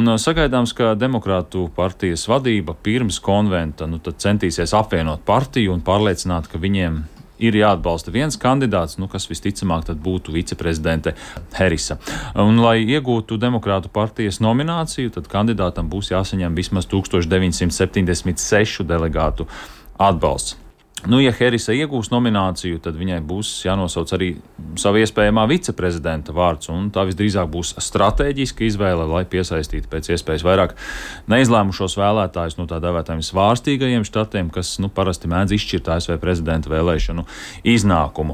Un sagaidāms, ka Demokrātu partijas vadība pirms konventa centīsies apvienot partiju un pārliecināt, ka viņiem ir jāatbalsta viens kandidāts, kas visticamāk tad būtu viceprezidente Harisa. Un, lai iegūtu Demokrātu partijas nomināciju, tad kandidātam būs jāsaņem vismaz 1976 delegātu atbalsts. Ja Harisa iegūs nomināciju, tad viņai būs jānosauc arī sava iespējamā viceprezidenta vārds, un tā visdrīzāk būs stratēģiska izvēle, lai piesaistītu pēc iespējas vairāk neizlēmušos vēlētājus no tā dēvētājiem svārstīgajiem štatiem, kas parasti mēdz izšķirt ASV prezidenta vēlēšanu iznākumu.